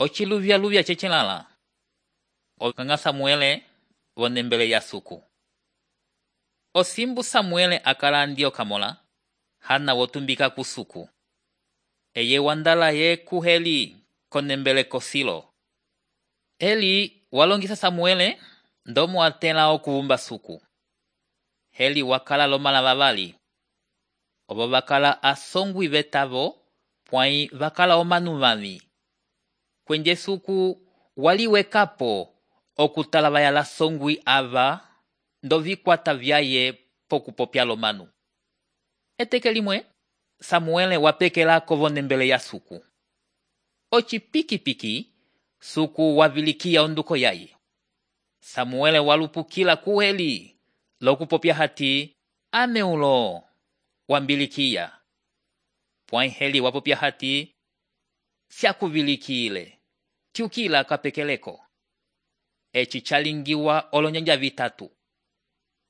Ociluvya cecelala. Okanga Samuele vonembele ya suku. Osimbu Samuele akala ndio kamola, hana wotumbika kusuku. Eye wandala ye kuheli konembele kosilo. Eli walongisa Samuele ndomo atela okuvumba suku. Heli wakala lomala vavali. Obo vakala asongwi vetavo, pwai vakala omanumami. Kwenje suku waliwekapo okutalavaya la songwi ava ndovikwata vyaye pokupopya lomanu. Eteke limwe, Samuele wapekelako vonembele ya suku. Ocipiki-piki, suku wavilikia onduko yaye. Samuele walupukila kuheli, lokupopya hati, ameulo, wambilikia. Pwai heli wapopya hati, siakuvilikile, tiukila kapekeleko. Eci chalingiwa olonyanja vitatu.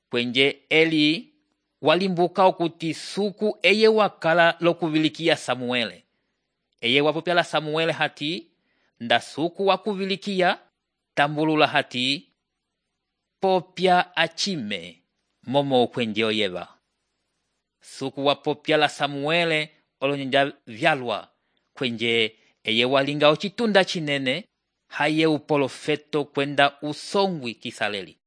Kwenje Eli walimbuka okuti suku eye wakala lokuvilikia Samuele. Eye wapopya la Samuele hati, nda suku wakuvilikia, tambulula hati, popya achime, momo kwenje oyeva. Suku wapopya la Samuele olonyanja vyalwa, kwenje eye walinga ocitunda chinene, haye upolofeto kwenda usongwi kisaleli.